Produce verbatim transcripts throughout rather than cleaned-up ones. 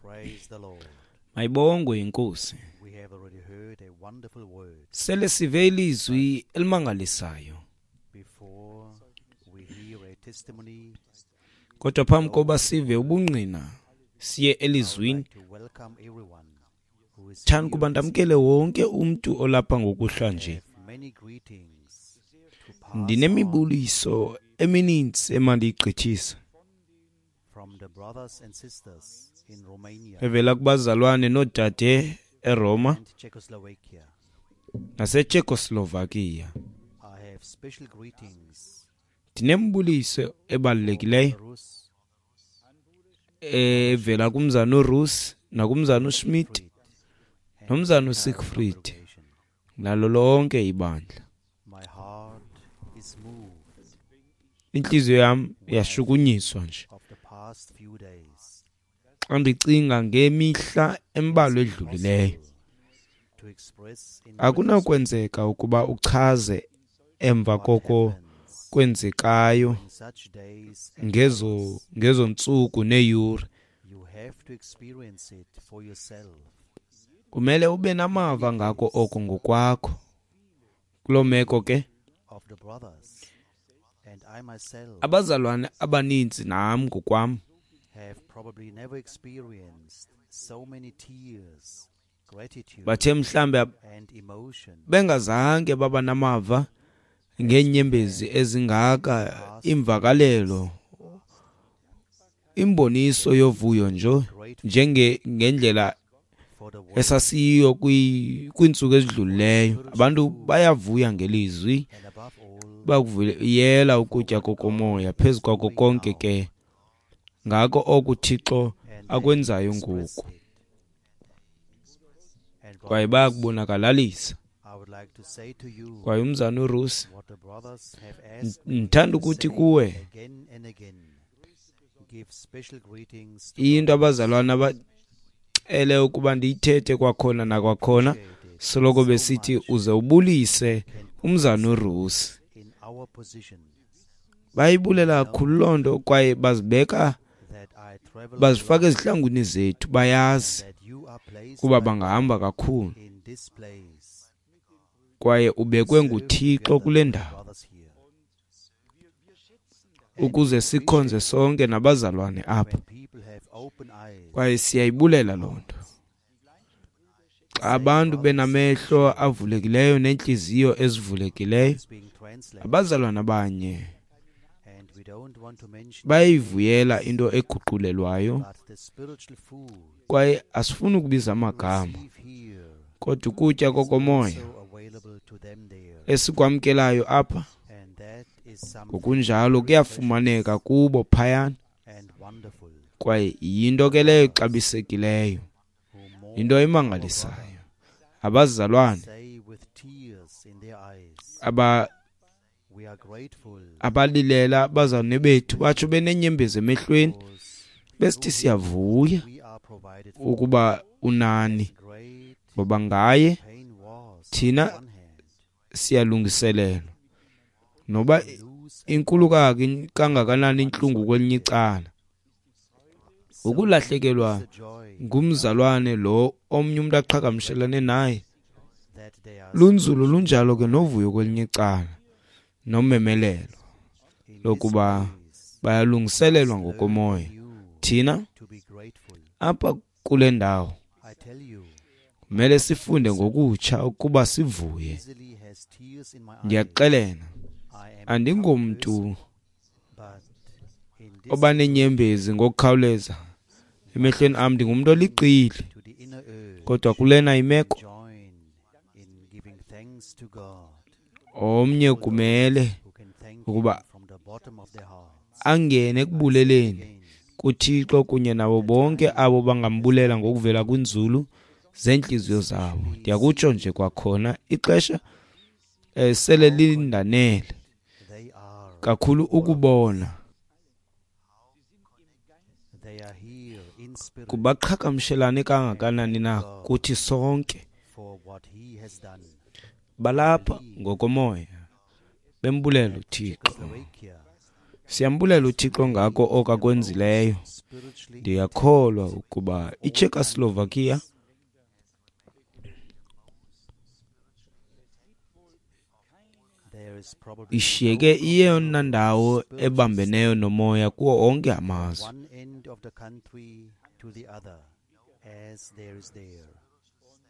Praise the Lord. Mayibongwe inkosi. We have already heard a wonderful word. Sele sive ilizwi elimangalisayo. Before we hear a testimony, Kodwa phambi koba sive ubungqina siye elizwini, I'd like to welcome everyone who is thanda here kuba this ndamkele wonke umntu olapha ngokuhlwa nje. evening. Many greetings to pass on Ndinemibuliso emininzi emandiyigqithisa from the brothers and sisters in Romania evela kubazalwane noodade eRoma and Czechoslovakia. naseCzechoslovakia. I have special greetings Ndinembuliso ebalulekileyo Rus, evela kumzana uRus nakumzana uSchmidt Fried, and nomzana entire uSiegfried congregation. nalo lonke ibandla. My heart is moved Inhliziyo yam yashukunyiswa nje of the past few days. xa ndicinga ngemihla embalwa edlulileyo. To express in words Akunakwenzeka ukuba uchaze emva what koko happens kwenzekayo in such days and ngezo hours. ngezo ntsuku neeyure. You have to experience it for yourself. Kumele ube namava ngako oko ngokwakho. Kuloo meko ke Of the brothers, and I myself abazalwane abaninzi nam ngokwam have probably never experienced so many tears, gratitude, bathe mhlambe and emotion bengazange baba namava ngeenyembezi ezingaka, imvakalelo, imboniso yovuyo nje njenge ngendlela for the word esasiyiyo kwi- kwiintsuku ezidlulileyo. Abantu bayavuya ngelizwi, and above all bakuvuyela ukutya kokomoya. Phezu kwako konke ke ngako oku Thixo and they akwenzayo express ngoku, it. And kwaye brothers, bayakubonakalisa. I would like to say to you Kwaye umzana uRusi, what the brothers have asked me ndithanda to ukuthi say kuwe again and again. Give special greetings to into brothers. abazalwana abacele ukuba ndiyithethe kwakhona nakwakhona, Appreciate it soloko so besithi much. uze ubulise Can put umzana us uRusi. in our position Bayibulela kakhulu loo nto kwaye bazibeka that I travel bazifaka alone ezihlangwini zethu. Bayazi and that you are placed kuba by bangahamba kakhulu in this place. kwaye ubekwe Serve nguThixo together kule with ndawo brothers here. ukuze sikhonze sonke nabazalwane apha. When people have open eyes, Kwaye siyayibulela loo nto. Xa abantu benamehlo avulekileyo neentliziyo ezivulekileyo, it's being translated, abazalwana abanye and we don't want to mention bayayivuyela into eguqulelwayo, but the spiritual food kwaye asifuni ukubiza we amagama, receive here kodwa ukutya is kokomoya also available to them there, esikwamkelayo apha and that is something ngokunjalo very kuyafumaneka kubo phayana, precious and wonderful. kwaye yinto ke leyo exabisekileyo, Who mourn yinto our emangalisayo. Abazalwane say with tears in their eyes, aba we are grateful abalilela abazalwane bethu batsho beneenyembezi emehlweni because besithi siyavuya we are provided for. ukuba unani, Great ngoba ngaye pain was thina on one hand siyalungiselelwa, noba to lose a inkulu kaki- kangakanani intlungu kwelinye icala. so Ukulahlekelwa is the joy ngumzalwane lo omnye umntu aqhagamshelane naye that they are lunzulu, lunjalo ke novuyo kwelinye icala nomemelelo in this lokuba place bayalungiselelwa learn ngokomoya. you Thina to be grateful. apha kule ndawo I tell you, kumele sifunde ngokutsha ukuba sivuye. easily has tears in my eyes. Ndiyaxelela, I am a tough andingomntu person, but in this oba nenyembezi ngokukhawuleza emehlweni am, ndingumntu oliqili, to the inner earth, kodwa kulena imeko join in giving thanks to God, omnye kumele who can thank ukuba Him from the bottom of their hearts. angene ekubuleleni Again, kuThixo kunye nabo bonke abo bangambulela ngokuvela kwinzulu zeentliziyo zabo. Ndiyakutsho nje kwakhona, ixesha eh, sele lindanele they are kakhulu ukubona they are here in spirit kubaqhagamshelane kangakanani na kuthi sonke. for what He has done. Balapha ngokomoya bembulela uThixo Czechoslovakia Siyambulela uThixo ngako oko akwenzileyo. Spiritually Ndiyakholwa ukuba iCzechoslovakia there is probably ishiyeke iyeyona ndawo ebambeneyo nomoya kuwo onke amazwe. one end of the country to the other as there is there.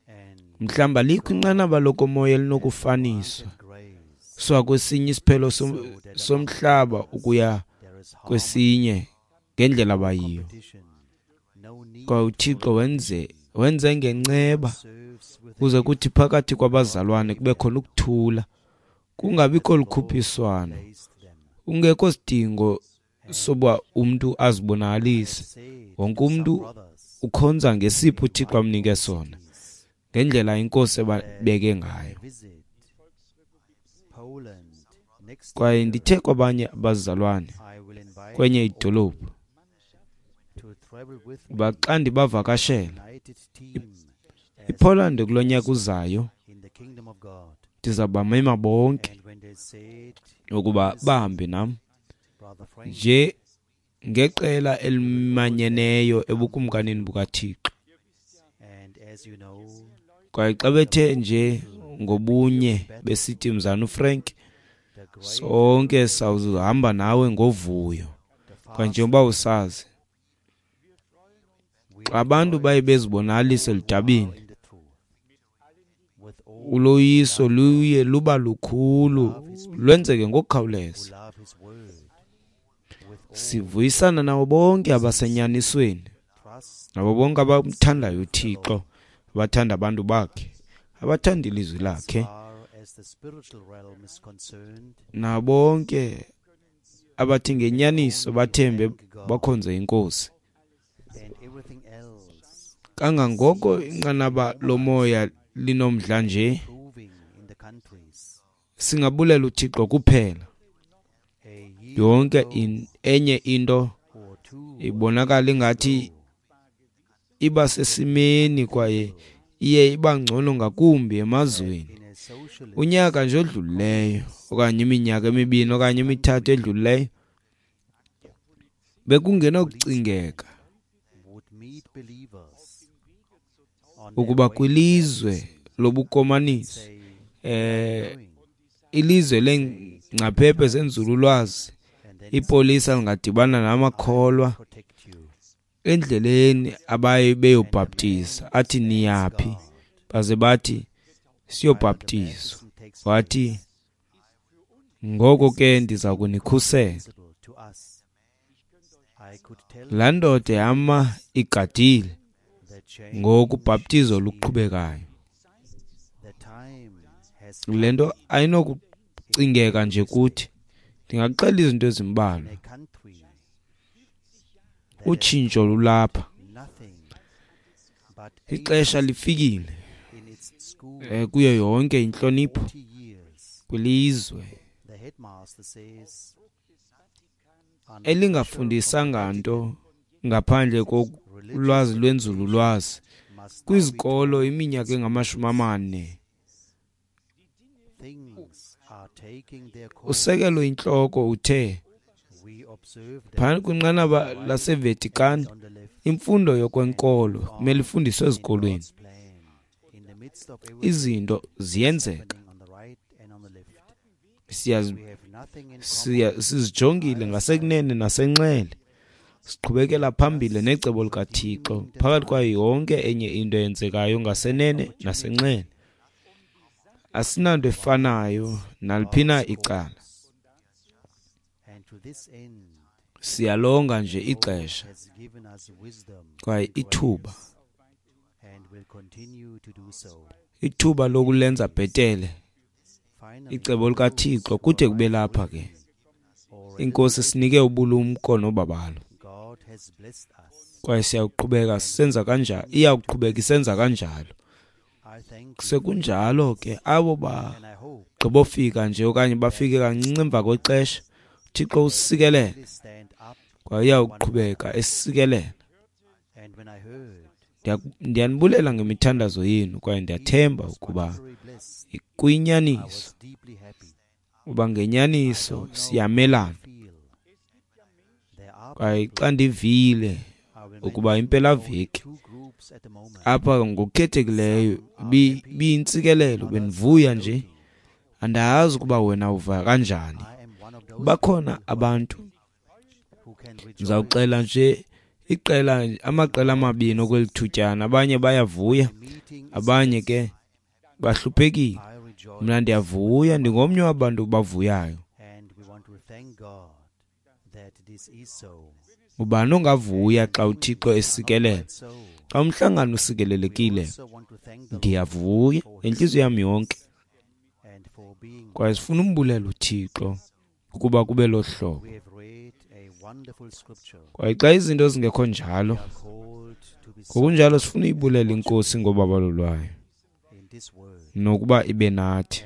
And Mhlawumbi alikho inqanaba lokomoya elinokufaniswa grace suka kwesinye isiphelo som- somhlaba ukuya there is harmony, kwesinye ngendlela abayiyo. competition, no need Kwaye uThixo wenze wenze ngenceba serves with kuze kuthi phakathi kwabazalwane kube khona ukuthula, kungabikho lukhuphiswano, placed them. kungekho sidingo soba umntu azibonakalise. Said Wonke to some umntu brothers ukhonza ngesipho uThixo amnike sona, ngendlela inkosi ebabeke ngayo. visit Poland next Kwaye year. ndithe kwabanye abazalwane I will invite kwenye idolophu to travel with me uba xa ndibavakashela united team as iPoland kulo nyaka uzayo, in the kingdom of God. ndizawubamema bonke And when they said, ukuba bahambe nam Brother Frank, nje ngeqela elimanyeneyo ebukumkanini bukaThixo. and as you know, Kwaye xa bethe nje ngobunye besithi mzana uFrank, the great sonke sawuhamba nawe ngovuyo. the Kwaye njengoba usazi, we xa abantu baye bezibonakalisa eludabeni, are in the truth. With all uloyiso luye luba lukhulu, lwenzeke who ngokukhawuleza. love his word, with all Sivuyisana nabo bonke abasenyanisweni, trust nabo bonke abamthandayo uThixo, abathanda abantu bakhe, abathanda ilizwi lakhe, far as the spiritual realm is concerned, nabo bonke abathi ngenyaniso bathembe bakhonze inkosi. and everything else Kangangoko inqanaba lomoya linomdla nje, proving in the countries. singabulela uThixo kuphela. A year Yonke in, enye into or two ibonakala ingathi iba sesimeni kwaye iye iba ngcono ngakumbi emazweni. in a socialist Unyaka nje odlulileyo okanye iminyaka emibini okanye emithathu edlulileyo bekungenokucingeka would meet believers on their ukuba way to kwilizwe lobukomanisi, say, eh going, ilizwe leengcaphephe zenzululwazi, and then ipolisa lingadibana namakholwa protect you. endleleni abaye beyobhaptiza, athi niyaphi, baze bathi siyobhaptizwa. Baptism takes Wathi ngoko ke ndiza kunikhusela. visible to us. I could tell Laa ndoda yama igadile the change ngoku ubhaptizo luqhubekayo. the time has Le nto ayinokucingeka nje kuthi. Ndingaxela izinto ezimbalwa. in a country that Utshintsho lulapha, nothing but ixesha lifikile in its school eh, kuyo yonke intlonipho forty years. kwilizwe The headmaster says under elingafundisanga nto ngaphandle kolwazi lwenzululwazi must now be kwizikolo iminyaka engamashumi amane. things are taking their course. Usekelo intloko uthe We observe that phantsi kwinqanaba laseVatican on the left imfundo yokwenkolo kumele ifundiswe ezikolweni. God's plan in the midst of everything Izinto ziyenzeka, happening on the right and on the left. siyazi We have nothing in common. siya sizijongile ngasekunene nasenxele, siqhubekela phambili necebo likaThixo phakathi kwayo yonke enye into eyenzekayo ngasenene nasenxele. Asinanto efanayo naliphi na icala, And to this end, siyalonga nje ixesha has given us wisdom kwaye ithuba and will continue to do so. ithuba lokulenza bhetele Finally, icebo likaThixo kude kube lapha ke. or Inkosi sinike ubulumko nobabalo, God has blessed us. kwaye siyaqhubeka sisenza kanjalo, iyawuqhubeka isenza kanjalo. I thank you Sekunjalo ke abo ba and I hope gqibofika nje okanye bafike kancinci emva kwexesha, uThixo usikelele we stand up. kwaye uyawuqhubeka esikelela. And when I heard Ndiya- Ndiyanibulela ngemithandazo yenu kwaye ndiyathemba ukuba very blessed, I kuyinyaniso, was deeply happy. uba ngenyaniso siyamelana Feel Kwaye xa ndivile ukuba impelaveki apha ngokukhethekileyo ibiyintsikelelo, bendivuya nje. Andazi ukuba wena uva kanjani. Bakhona abantu, ndizawuxela nje iqela, amaqela amabini okweli thutyana. Abanye bayavuya, abanye ke bahluphekile. Mna ndiyavuya, ndingomnye wabantu bavuyayo. Ubani ongavuya xa uThixo esikelela? Xa umhlangano usikelelekile, ndiyavuya ngentliziyo yam yonke. Kwaye sifuna umbulela uThixo ukuba kube lo hlobo. Kwaye xa izinto zingekho njalo, ngokunjalo sifuna uyibulela iNkosi ngobabalo lwayo nokuba ibe nathi.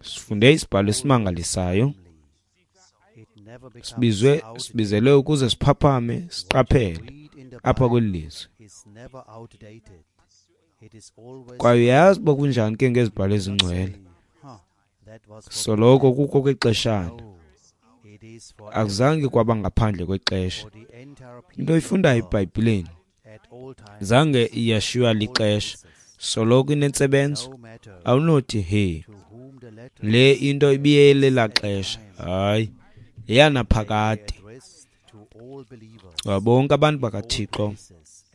Sifunde isibhalo esimangalisayo. Sibizwe, sibizelwe ukuze siphaphame, siqaphele apha kweli lizwe. Kwaye uyazi uba kunjani ke ngezibhalo ezingcwele. Soloko kukho kwexeshana. Akuzange kwaba ngaphandle kwexesha. Into oyifundayo eBhayibhileni zange iyashiywa lixesha. Soloko inentsebenzo. Awunothi he le into ibiyelela xesha. Hayi, yeyanaphakade. Bonke abantu bakaThixo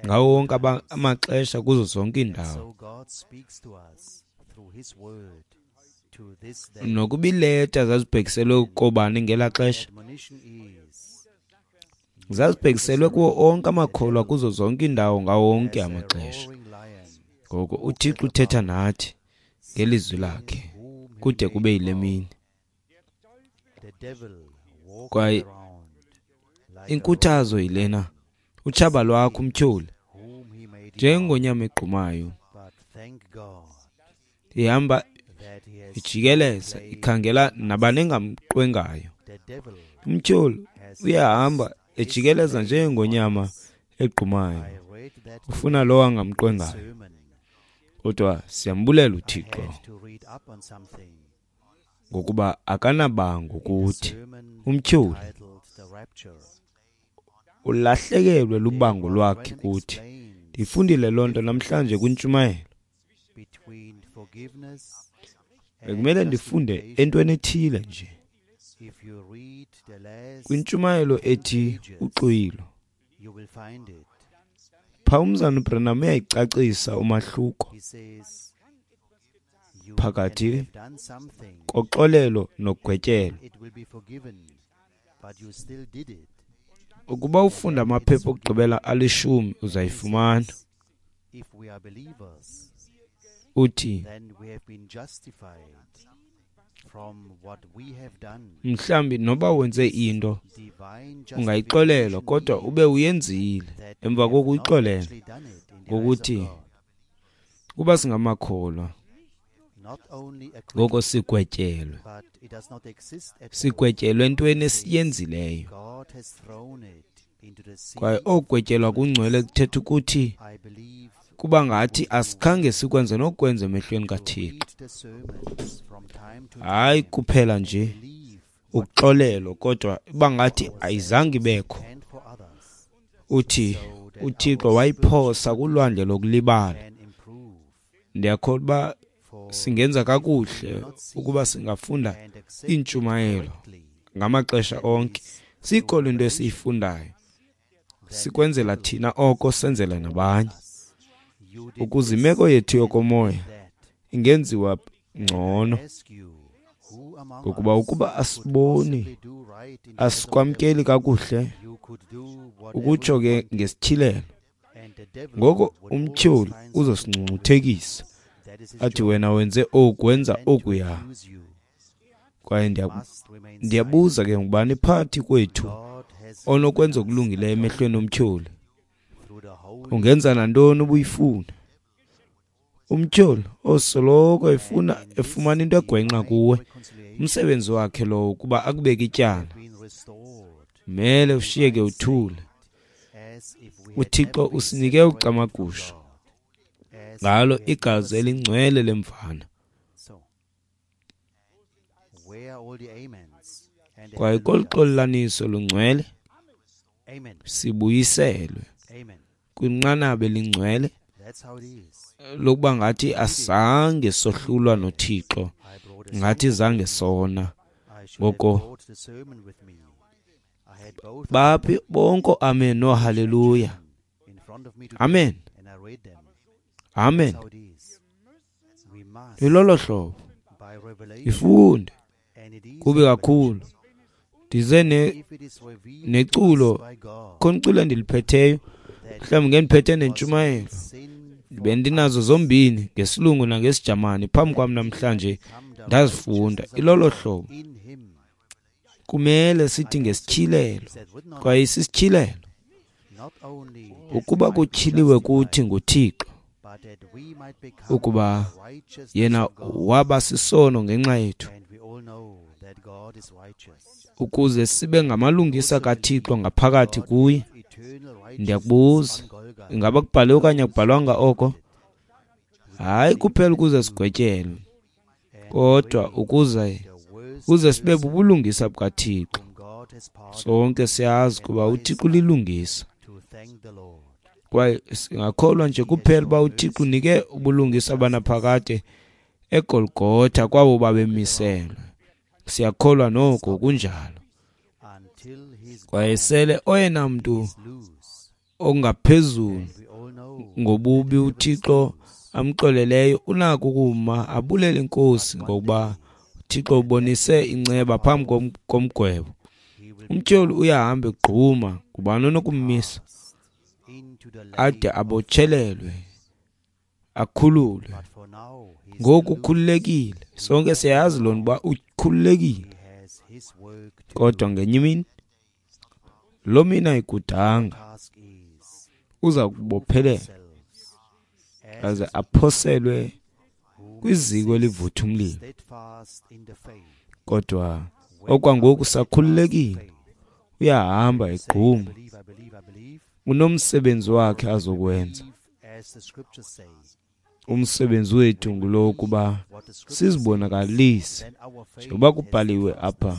ngawo wonke amaxesha kuzo zonke iindawo. Nokuba iileta zazibhekiselwe koobani ngelaa xesha, zazibhekiselwe kuwo onke amakholwa kuzo zonke iindawo ngawo wonke amaxesha. Ngoko uThixo uthetha nathi ngelizwi lakhe kude kube yile mini. Kwaye inkuthazo yilena, utshaba lwakho umtyholi njengonyama egqumayo ihamba ijikeleza ikhangela nabani engamqwengayo. Umtyholi uyahamba ejikeleza njengonyama egqumayo, ufuna lowo angamqwengayo. Kodwa siyambulela uThixo ngokuba akanabango kuthi. Umtyholi ulahlekelwe lubango lwakhe kuthi. Ndifundile loo nto namhlanje kwintshumayelo. Bekumele ndifunde entweni ethile nje kwintshumayelo ethi uxwilo. Phaa umzana uBranham uyayicacisa umahluko phakathi koxolelo nogwetyelo. Ukuba ufunda amaphepha okugqibela alishumi uzayifumana. Uthi mhlawumbi noba wenze into ungayixolelwa, kodwa ube uyenzile emva kokuyixolela. Ngokuthi kuba singamakholwa ngoko sigwetyelwe, sigwetyelwe entweni esiyenzileyo. Kwaye okugwetyelwa kungcwele kuthetha ukuthi kuba ngathi asikhange sikwenze nokwenza emehlweni kaThixo. Hayi kuphela nje ukuxolelwa, kodwa iba ngathi ayizange ibekho. Uthi uThixo wayiphosa kulwandle lokulibala. Ndiyakholwa uba singenza kakuhle ukuba singafunda iintshumayelo ngamaxesha onke, siyikholwe into esiyifundayo, sikwenzela thina oko senzela nabanye, ukuze imeko yethu yokomoya ingenziwa ngcono. Ngokuba ukuba asiboni, asikwamkeli kakuhle, ukutsho ke ngesityhilelo, ngoko umtyholi uzosingcungcuthekisa athi wena wenze oku, wenza okuya. Kwaye ndiyabuza ke, ngubani phakathi kwethu onokwenza okulungileyo emehlweni omtyholi? Ungenza nantoni ubuyifuna? Umtyholi osoloko efuna efumana into egwenxa kuwe, umsebenzi wakhe lowo ukuba akubeke ityala. Mele ushiyeke uthule. uThixo usinike ucamagusho ngalo igazi elingcwele lemvana. Kwaye kolu xolelaniso lungcwele sibuyiselwe kwinqanaba elingcwele lokuba ngathi asange sohlulwa noThixo, ngathi zange sona. Ngoko baphi bonke amen no haleluya. Amen. Amen. Ilolo hlobo ifunde kube kakhulu. Ndize ne neculo khona iculo endiliphetheyo, mhlawumbi ngendiphethe nentshumayelo, bendinazo zombini ngesilungu nangesijamani phambi kwam namhlanje, ndazifunda. Ilolo hlobo kumele sithi ngesityhilelo, kwaye isisityhilelo ukuba kutyhiliwe kuthi nguThixo ukuba yena waba sisono ngenxa yethu, ukuze sibe ngamalungisa kaThixo ngaphakathi kuye. Ndiyakubuza, ingaba kubhaliwe okanye akubhalwanga oko? Hayi kuphela ukuze sigwetyelwe, kodwa ukuze ukuze sibe bubulungisa bukaThixo. Sonke siyazi kuba uThixo ulilungisa, kwaye singakholwa nje kuphela uba uThixo unike ubulungisa banaphakade eGolgotha kwabo babemiselwe. Siyakholwa noko kunjalo. Kwaye sele oyena mntu ongaphezulu ngobubi uThixo amxoleleyo unako ukuma abulele inkosi, ngokuba uThixo ubonise inceba phambi komgwebo. Umtyholi uyahamba egquma, ngubani onokummisa ade abotshelelwe akhululwe? Ngoku ukhululekile, sonke siyayazi loo nto uba ukhululekile, kodwa ngenye imini loo mini ayikudanga uza kubophelela aze aphoselwe kwiziko elivutha umlilo. Kodwa okwangoku sakhululekile, uyahamba egquma, unomsebenzi wakhe azokwenza. Umsebenzi wethu ngulo ukuba sizibonakalise njengoba kubhaliwe apha.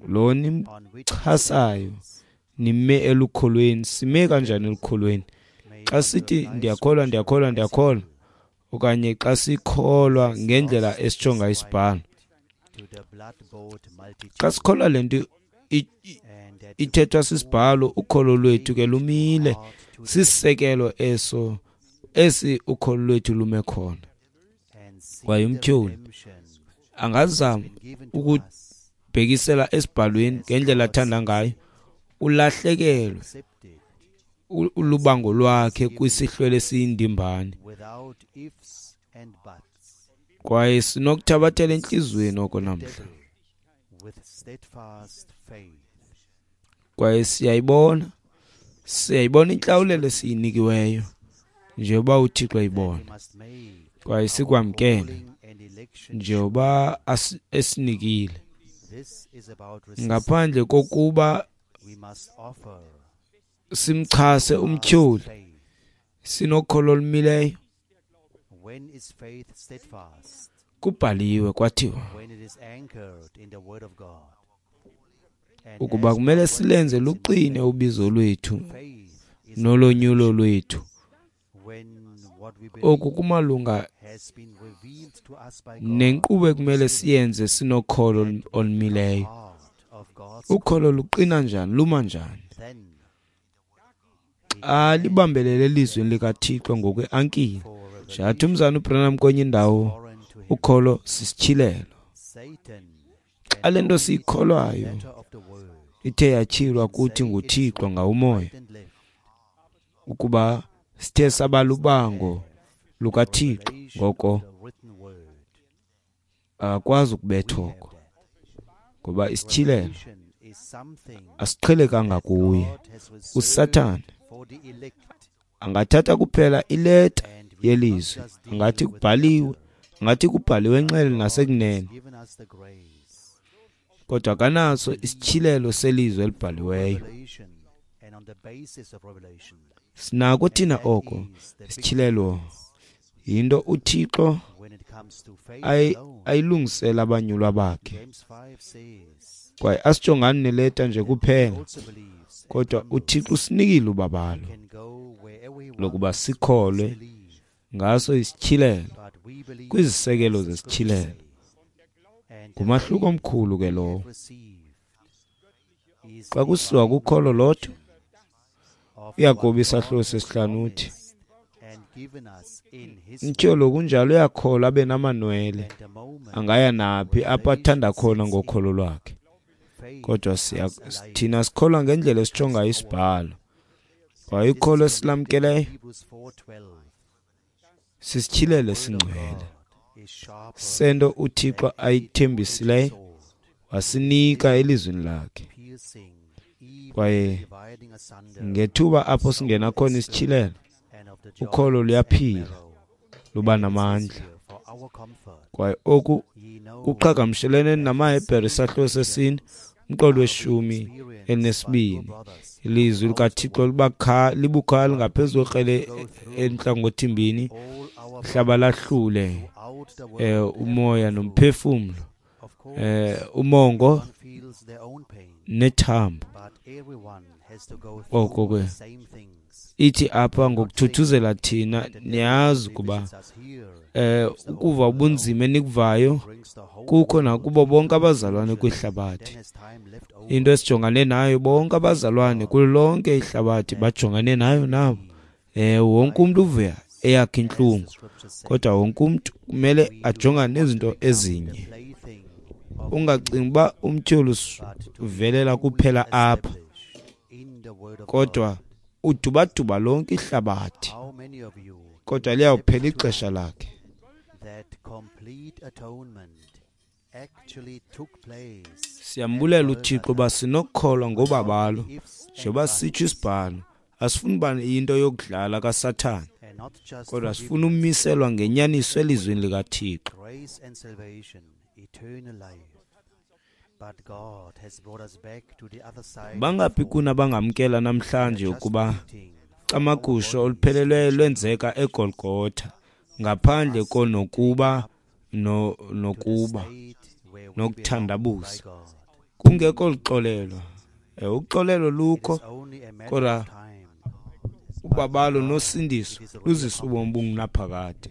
Lo nimchasayo nime elukholweni. Sime kanjani elukholweni? Xa sithi ndiyakholwa, ndiyakholwa, ndiyakholwa, okanye xa sikholwa ngendlela esitsho ngayo isibhalo. Xa sikholwa le nto ithethwa sisibhalo, ukholo lwethu ke lumile. Sisisekelo eso esi ukholo lwethu lume khona. Kwaye umtyholi angazama ukubhekisela esibhalweni ngendlela athanda ngayo, ulahlekelwe ulubango lwakhe kwisihlwele esiyindimbane. Kwaye sinokuthabathela entliziyweni oko namhla. Kwaye siyayibona, siyayibona intlawulelo esiyinikiweyo njengoba uThixo eyibona, kwaye sikwamkele njengoba esinikile, ngaphandle kokuba simchase umtyholi. Sinokholo olumileyo. Kubhaliwe kwathiwa ukuba kumele silenze luqine ubizo lwethu nolonyulo lwethu. Oku kumalunga nenkqubo ekumele siyenze sinokholo olumileyo. Ukholo luqina njani, luma njani? Xa libambelele elizwini likaThixo ngokweankile. Njengathi umzana uBranham kwenye indawo, ukholo sisityhilelo. Xa le nto siyikholwayo ithe yatyhilwa kuthi nguThixo ngawumoya, ukuba sithe sabalubango lukaThixo, ngoko akakwazi ukubetha oko, ngoba isityhilelo asiqhelekanga kuye. USathane angathatha kuphela ileta yelizwi, angathi kubhaliwe, angathi kubhaliwe enxele nasekunene, kodwa akanaso isityhilelo selizwi elibhaliweyo. Sinako thina oko. Isityhilelo yinto uThixo ayilungisela abanyulwa bakhe. Kwaye asijongani neleta nje kuphela, kodwa uThixo usinikile ubabalo lokuba sikholwe ngaso isityhilelo, kwizisekelo zesityhilelo. Ngumahluko omkhulu ke lowo. Xa kusiwa kukholo lodwa, uYakobi isahluko sesihlanu uthi, umtyholi kunjalo uyakholwa abe namanwele, angaya naphi apho athanda khona ngokholo lwakhe. Kodwa thina sikholwa ngendlela esitsho ngayo isibhalo. Kwaye ukholo esilamkeleyo sisityhilelo esingcwele sento uThixo ayithembisileyo wasinika elizwini lakhe. Kwaye ngethuba apho singena khona isityhilelo, ukholo luyaphila, luba namandla. Kwaye oku kuqhagamshelene namaHebhere isahluko sesine umqolo weshumi elinesibini. Ilizwi likaThixo libukhali ngaphezu kwekrele entlangothimbini, hlaba lahlule eh umoya nomphefumlo, eh umongo nethambo. Oko ke ithi apha ngokuthuthuzela thina, niyazi ukuba eh ukuva ubunzima enikuvayo kukho nakubo bonke abazalwane kwihlabathi. Into esijongane nayo bonke abazalwane kulo lonke ihlabathi bajongane nayo nabo. Eh wonke umuntu uvuya eyakhe inhlungu, kodwa wonke umuntu kumele ajongane nezinto ezinye. Ungacingi uba umtyholi uvelela kuphela apha, kodwa udubaduba lonke ihlabathi, kodwa liyawuphela ixesha lakhe. Siyambulela uThixo uba sinokukholwa ngobabalo, njengoba sitsho isibhalo. Asifuni uba into yokudlala kaSathane, kodwa sifuna umiselwa ngenyaniso elizwini likaThixo. Bangaphi kuna abangamkela namhlanje ukuba camagusho olupheleleyo lwenzeka eGolgotha ngaphandle konokuba no nokuba nokuthandabuza, kungekho luxolelo. Uxolelo lukho, kodwa ubabalo nosindiso luzisa ubomi obungunaphakade.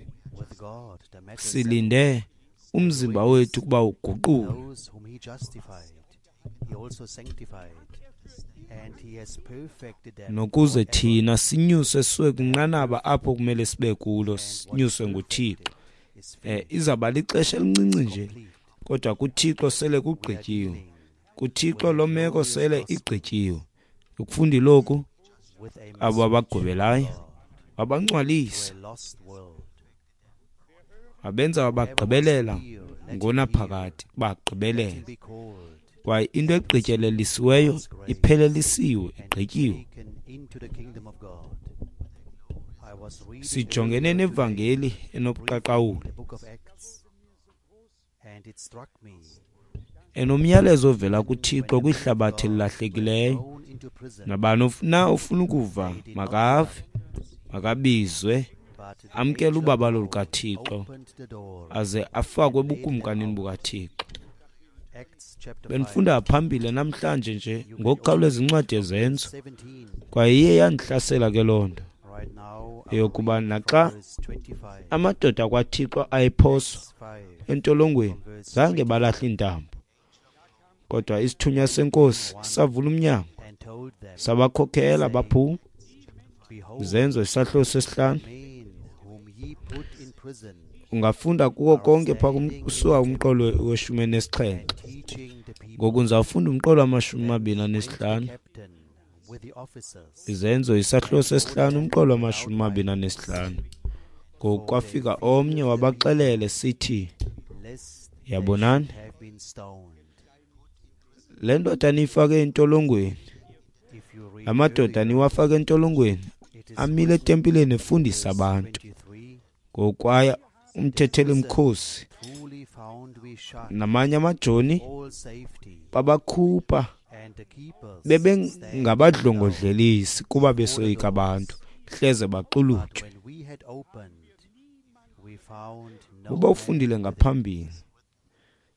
Silinde umzimba wethu ukuba uguqulwe. Nokuze thina sinyuswe siwe kwinqanaba apho kumele sibe kulo, sinyuswe nguThixo. Eh izawuba lixesha elincinci nje, kodwa kuThixo sele kugqityiwe. KuThixo lo meko sele igqityiwe. Ukufunda lokhu, abo abagwebelayo wabangcwalisa, wabenza wabagqibelela ngonaphakade, bagqibelela. Kwaye into egqityelelisiweyo iphelelisiwe, igqityiwe. Sijongene nevangeli enobuqaqawuli, enomyalezo ovela kuThixo kwihlabathi elilahlekileyo. Nabani na ofuna ukuva makave, makabizwe, amkele ubabalo lukaThixo, aze afakwe ebukumkanini bukaThixo. Benifunda phambili namhlanje nje ngokukhawuleza incwadi yeZenzo, kwaye iye yandihlasela ke loo nto eyokuba naxa amadoda kwaThixo ayephoswa entolongweni zange balahle intambo, kodwa isithunywa senkosi savula umnyango sabakhokhela baphuma. Izenzo isahluko sesihlanu. Ungafunda kuko konke phaa kusuka umqolo weshumi nesixhenxe. Ngoku ndizawufunda umqolo wamashumi amabini anesihlanu. Izenzo isahluko sesihlanu umqolo wamashumi amabini anesihlanu. Ngoku kwafika omnye wabaxelele sithi, yabonani, le ndoda niyifake entolongweni, amadoda niwafake entolongweni amile etempileni efundisa abantu. Ngokwaya umthetheli mkhosi namanye amajoni babakhupha bebengabadlongodlelisi kuba besoyika abantu, hleze baxulutywe. Uba ufundile ngaphambili,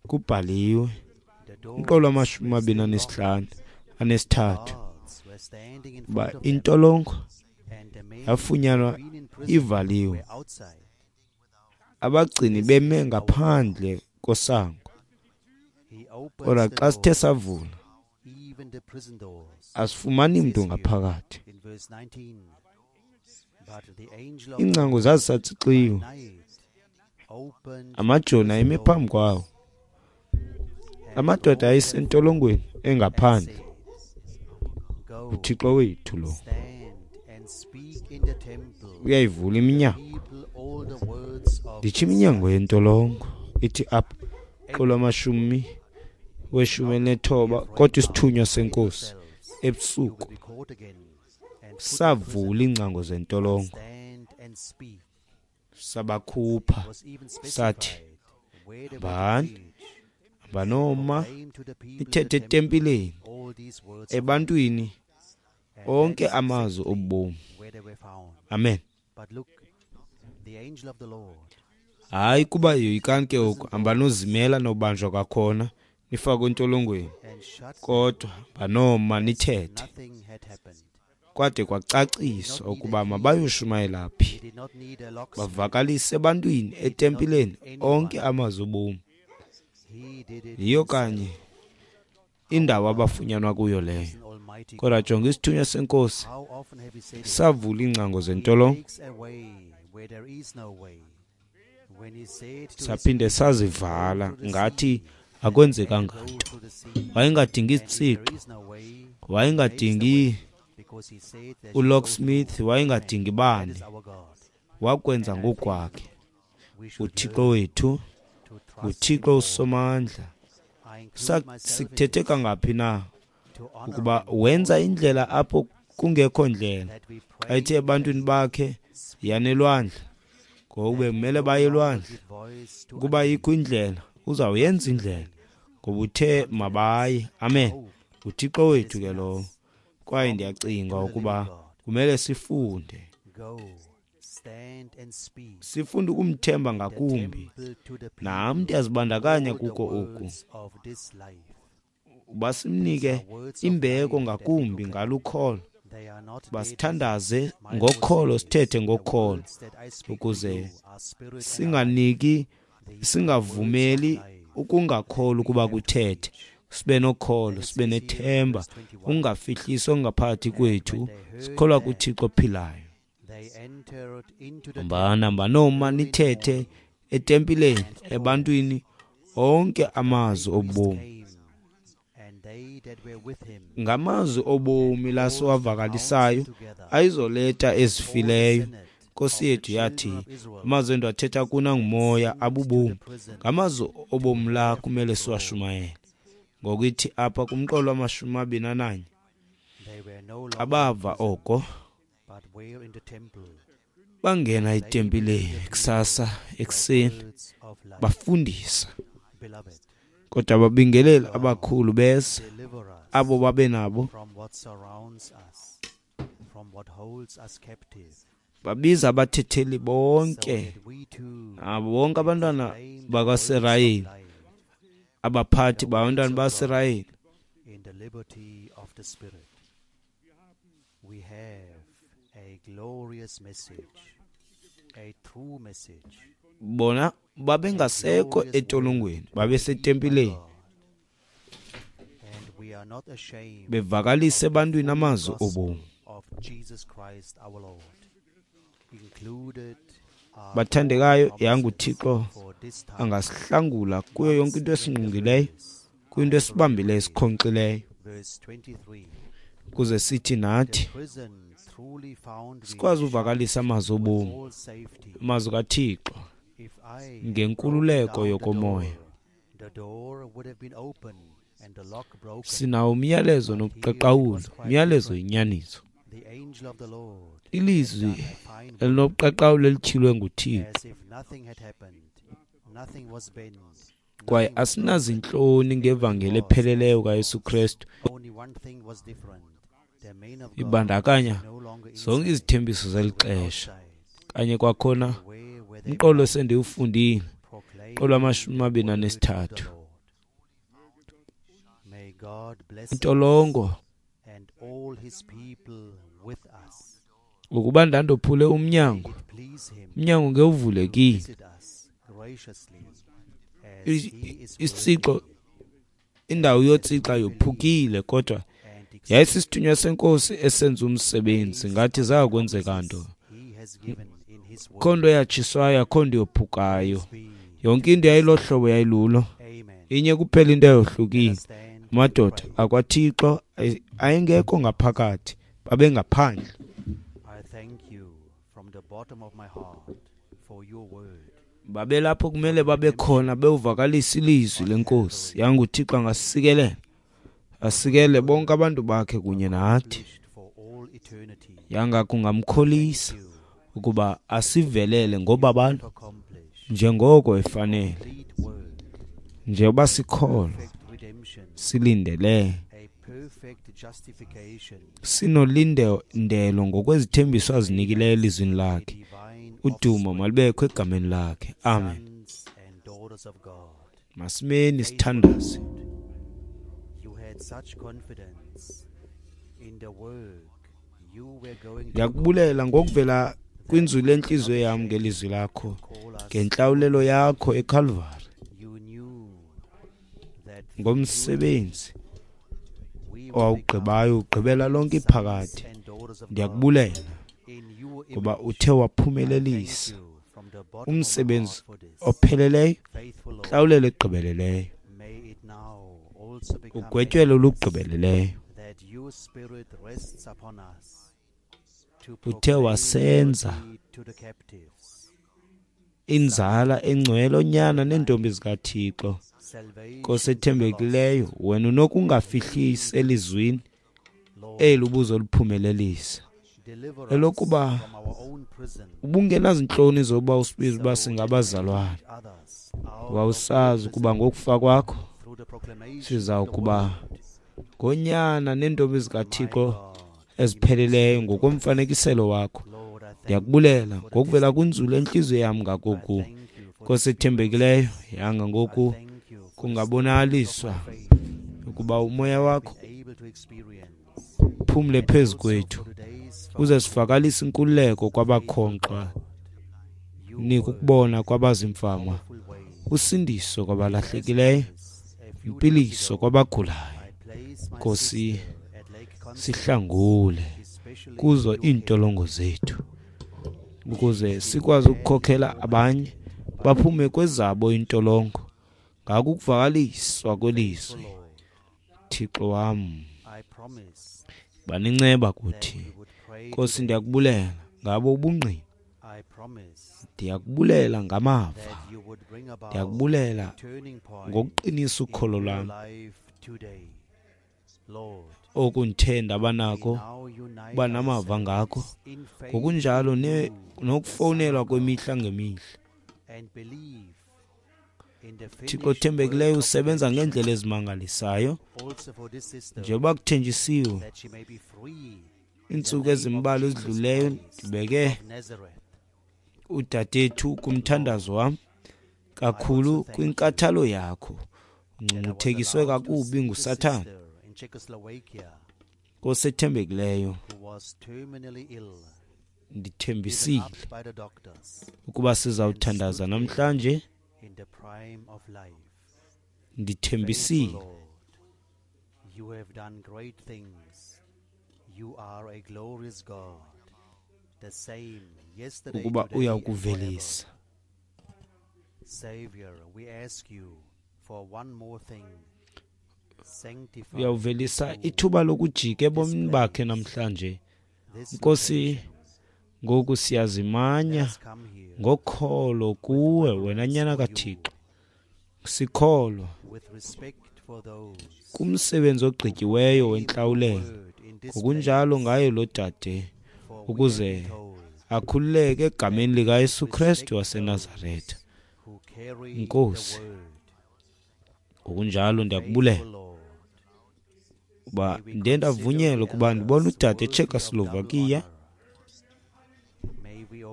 kubhaliwe umqolo wamashumi amabini anesihlanu anesithathu uba intolongo yafunyanwa ivaliwe, abagcini beme ngaphandle kosango. Kodwa xa sithe savula, asifumani mntu ngaphakathi. Iingcango zazisatsixiwe, amajoni ayemi phambi kwawo, amadoda ayesentolongweni engaphandle. UThixo wethu lo uyayivula iminyango. Nditsho iminyango yentolongo ithi apha qolo amashumi weshumi elinethoba, kodwa isithunywa senkosi ebusuku savula iingcango zentolongo, sabakhupha, sathi, hambani, hambanoma nithethe etempileni ebantwini onke amazwi obomi. Amen. Hayi kuba yoyikani ke oku, hambanozimela nobanjwa kwakhona nifakwe entolongweni, kodwa hambanoma nithethe. Kwade kwacaciswa ukuba mabayoshumayela phi, bavakalise ebantwini etempileni onke amazwi obomi. Yiyo kanye indawo abafunyanwa kuyo leyo. Kodwa jonga isithunywa senkosi savula iingcango zentolongo, saphinde sazivala ngathi akwenzekanga nto. Wayengadingi isitsixo, wayengadingi ulocksmith, wayengadingi bani, wakwenza ngokwakhe. UThixo wethu nguThixo usomandla. Sikuthethe kangaphi na ukuba wenza indlela apho kungekho ndlela. Xa ethe ebantwini bakhe yanelwandle, ngoku bekumele baye elwandle. Ukuba ikho indlela, uzawuyenza indlela, ngoba uthe mabaye. Amen. UThixo wethu ke lowo. Kwaye ndiyacinga ukuba kumele sifunde, sifunde ukumthemba ngakumbi. Nam ndiyazibandakanya kuko oku, uba simnike imbeko ngakumbi ngalukholo, basithandaze ngokholo, sithethe ngokholo, ukuze singaniki, singavumeli ukungakholwa ukuba kuthethe. Sibe nokholo, sibe nethemba, ungafihlisi ongaphakathi kwethu, sikholwa kuThixo ophilayo. Hambani, hambanoma nithethe etempileni ebantwini onke amazwi obomi. Ngamazwi obomi la siwavakalisayo ayizoleta ezifileyo. Nkosi yethu yathi, amazwi endiwathetha kuna ngumoya abubomi. Ngamazwi obomi la kumele siwashumayele. Ngokuthi apha kumqolo wamashumi amabini ananye, abava oko bangena etempileni kusasa ekuseni bafundisa. Kodwa ababingeleli abakhulu beza, abo babe nabo, babiza abathetheli bonke, abo bonke abantwana bakwaSirayeli, abaphathi babantwana baSirayeli. Bona babengasekho etolongweni, babesetempileni bevakalise ebantwini amazwi obomi. Bathandekayo, yanguThixo angasihlangula kuyo yonke into esingqungileyo, kwinto esibambileyo, esikhonkxileyo, ukuze sithi nathi sikwazi uvakalisa amazwi obomi, amazwi kaThixo ngenkululeko yokomoya. Sinawo umyalezo nobuqaqawuli, umyalezo yinyaniso, ilizwi elinobuqaqawuli elityhilwe nguThixo. Kwaye asinazintloni ngevangeli epheleleyo kaYesu Kristu. Ibandakanya zonke izithembiso zeli xesha. Kanye kwakhona umqolo esendiwufundile Olwamashumi amabini anesithathu. Intolongo ukuba ndandophule umnyango, umnyango ngewuvulekile. Isitsixo, indawo yotsixa yophukile, kodwa yayisisithunywa senkosi esenza umsebenzi ngathi zakwenzeka nto. Akho nto yatshiswayo, akho nto yophukayo. Yonke into yayilohlobo yayilulo. Inye kuphela into eyohlukile. Amadoda akwaThixo ayengekho ngaphakathi, babengaphandle. Babelapho kumele babe khona bewuvakalisa ilizwi lenkosi. YanguThixo angasikelela, asikele bonke abantu bakhe kunye nathi. Yanga kungamkholisa ukuba asivelele ngobabalo njengoko efanele, njengoba sikholwa silindele sinolindelo ngokwezithembiso azinikileyo elizwini lakhe. Udumo malubekho egameni lakhe. Amen. Masimeni sithandaze. Ndiyakubulela ngokuvela kwinzulu lentliziyo yam ngelizwi lakho, ngentlawulelo yakho eKalvari, ngomsebenzi owawugqibayo ugqibela lonke iphakade. Ndiyakubulela ngoba uthe waphumelelisa umsebenzi opheleleyo, ntlawulelo egqibeleleyo, ugwetyelo olugqibeleleyo. Uthe wasenza inzala engcwele, onyana neentombi zikaThixo. Nkosi ethembekileyo, wena unokungafihlisi elizwini eli ubuzoliphumelelisa, elokuba ubungenazintloni zokuba usibize uba singabazalwane. Wawusazi ukuba ngokufa kwakho sizawukuba ngonyana neentombi zikaThixo ezipheleleyo ngokomfanekiselo wakho. Ndiyakubulela ngokuvela kwinzulu entliziyo yam ngakoku. Nkosi ethembekileyo, yanga ngoku kungabonakaliswa ukuba umoya wakho uphumle phezu kwethu, uze sivakalise inkululeko kwabakhonkxwa, nika ukubona kwabazimfama, usindiso kwabalahlekileyo, impiliso kwabagulayo. Nkosi, sihlangule kuzo iintolongo zethu, ukuze sikwazi ukukhokhela abanye baphume kwezabo iintolongo ngakukuvakaliswa kwelizwi. Thixo wam, baninceba kuthi. Nkosi, ndiyakubulela ngabo ubungqina, ndiyakubulela ngamava, ndiyakubulela ngokuqinisa ukholo lwam oku ndithe ndabanako uba namava ngako, ngokunjalo nokufowunelwa kwemihla ngemihla. Thixo othembekileyo, usebenza ngeendlela ezimangalisayo njengoba kuthenjisiwe. Iintsuku ezimbalwa ezidluleyo ndibeke udadethu kumthandazo wam kakhulu kwinkathalo yakho. Ungcungcuthekiswe kakubi nguSathana. Nkosi ethembekileyo, ndithembisile ukuba sizawuthandaza namhlanje. Ndithembisile ukuba uyakuvelisa. Uyawuvelisa ithuba lokujika ebomini bakhe namhlanje. Nkosi, ngoku siyazimanya ngokholo kuwe, wena nyana kaThixo. Sikholwa kumsebenzi ogqityiweyo wentlawulelo, ngokunjalo ngaye lo dade, ukuze akhululeke egameni likaYesu Kristu waseNazaretha. Nkosi, ngokunjalo ndiyakubulela uba ndiye ndavunyelwa ukuba ndibone udade eCzechoslovakia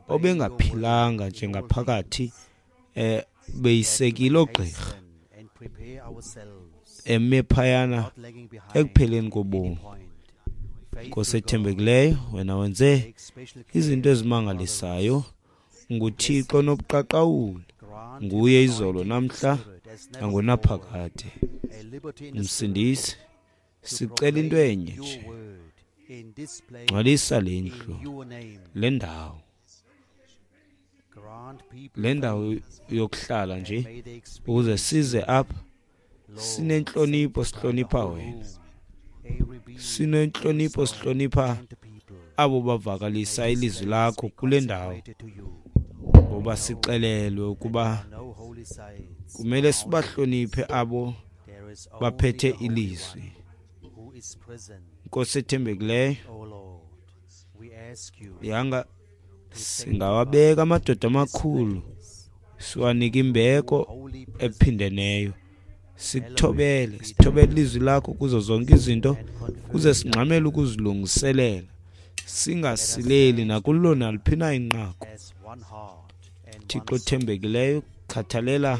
obengaphilanga njengaphakathi eh Beyisekile oogqirha, eme phayana ekupheleni kobomi. Nkosi ethembekileyo, wena wenze izinto ezimangalisayo. NguThixo nobuqaqawuli, nguye izolo namhla nangonaphakade. Msindisi, sicela into enye nje, ngcwalisa le ndlu, le ndawo, le ndawo yokuhlala nje, ukuze size apha sinentlonipho, sihlonipha wena, sinentlonipho, sihlonipha abo bavakalisa ilizwi lakho kule ndawo, ngoba sixelelwe ukuba kumele sibahloniphe abo baphethe ilizwi. Nkosi ethembekileyo, yanga singawabeka amadoda amakhulu, siwanike imbeko ephindeneyo, sikuthobele, sithobele ilizwi lakho kuzo zonke izinto, kuze singxamele ukuzilungiselela, singasileli nakulo naliphi na inqaku. Thixo othembekileyo, khathalela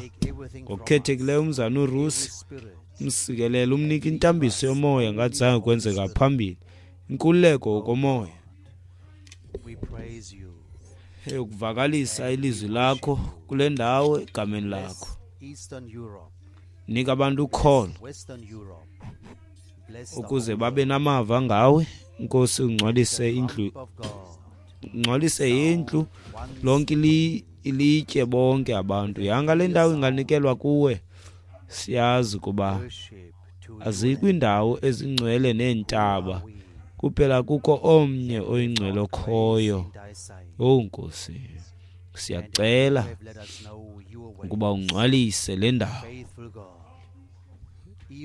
ngokukhethekileyo umzana uRusi, umsikelele, umnike intambiso yomoya ngathi zange kwenzeka phambili, inkululeko ngokomoya eyokuvakalisa ilizwi lakho kule ndawo egameni lakho. Nika abantu ukholo ukuze babe namava ngawe. Nkosi, ungcwalise indlu, ungcwalise indlu lonke ilitye bonke abantu. Yanga le ndawo inganikelwa kuwe. Siyazi kuba azikho indawo ezingcwele neentaba, kuphela kukho omnye oyingcwele okhoyo. Oh Nkosi, siyacela ukuba ungcwalise le ndawo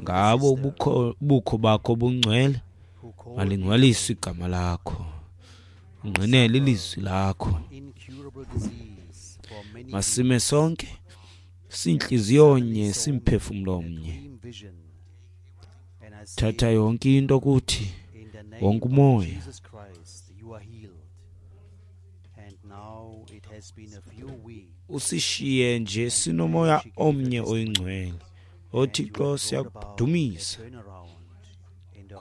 ngabo ubukho bukho bakho bungcwele. Malingcwaliswe igama lakho, ungqinele ilizwi lakho. Masime sonke sinhliziyonye, simphefumlo omnye. Thatha yonke into kuthi, wonke umoya. Usishiye nje sinomoya omnye oyingcwele. OThixo, siyakudumisa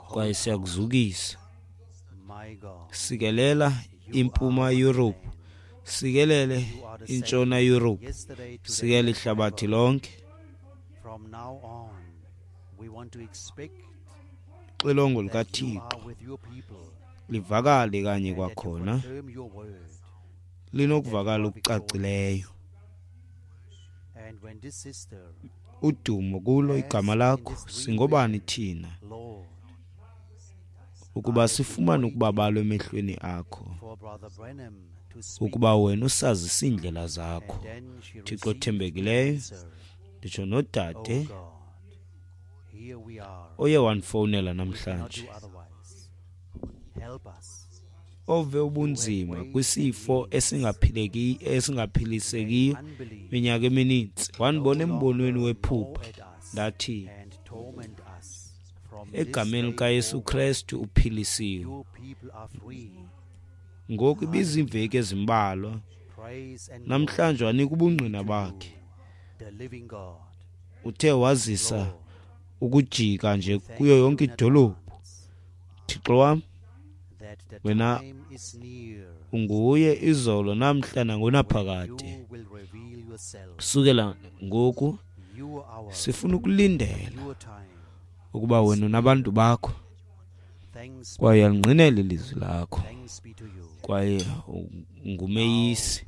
kwaye siyakuzukisa. Sikelela impuma Europe, sikelele intshona Europe, sikelele ihlabathi lonke. Ixilongo likaThixo livakale kanye kwakhona, linokuvakala okucacileyo. Udumo kulo igama lakho. Singobani thina ukuba sifumane ukubabalwa emehlweni akho, ukuba wena usazisa iindlela zakho. Thixo othembekileyo, nditsho nodade oye wandifowunela namhlanje, ove ubunzima kwisifo esingaphileki esingaphilisekiyo iminyaka emininzi, wandibona embonweni wephupha, ndathi egameni likaYesu Kristu uphilisiwe. Ngoku ibiziimveki ezimbalwa, namhlanje wanika ubungqina bakhe. Uthe wazisa ukujika nje kuyo yonke idolophu. Thixo wam, wena unguye izolo namhla nangonaphakade. Kusukela ngoku sifuna ukulindela ukuba wena unabantu bakho, kwaye uyalingqinela ilizwi lakho, kwaye ngumeyisi.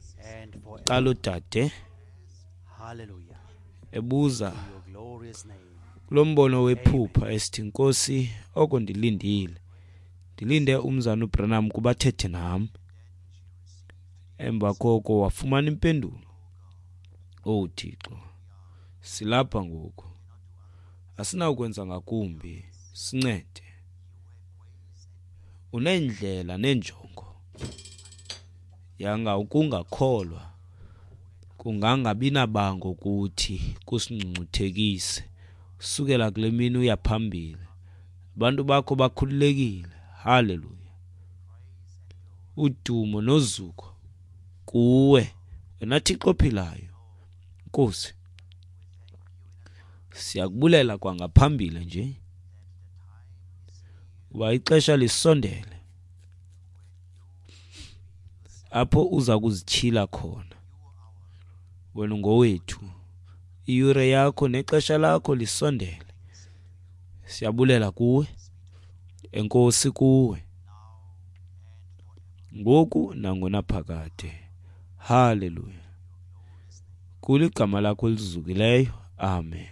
Qala udade ebuza kulo mbono wephupha esithi, Nkosi, oko ndilindile, ndilinde umzana uBranham kuba athethe nam. Emva koko wafumana impendulo. Oh Thixo, silapha ngoku, asinawukwenza ngakumbi, sincede. Uneendlela neenjongo, yanga ukungakholwa kungangabi nabango kuthi kusingcungcuthekise. Sukela kule mini uya phambili, abantu bakho bakhululekile. Haleluya. Udumo nozuko kuwe, wena Thixo ophilayo, Nkosi, siyakubulela kwangaphambili nje uba ixesha lisondele apho uza kuzityhila khona. Wena ungowethu, iyure yakho nexesha lakho lisondele. Siyabulela kuwe, enkosi kuwe, ngoku nangonaphakade. Haleluya. Kuligama lakho elizukileyo. Amen.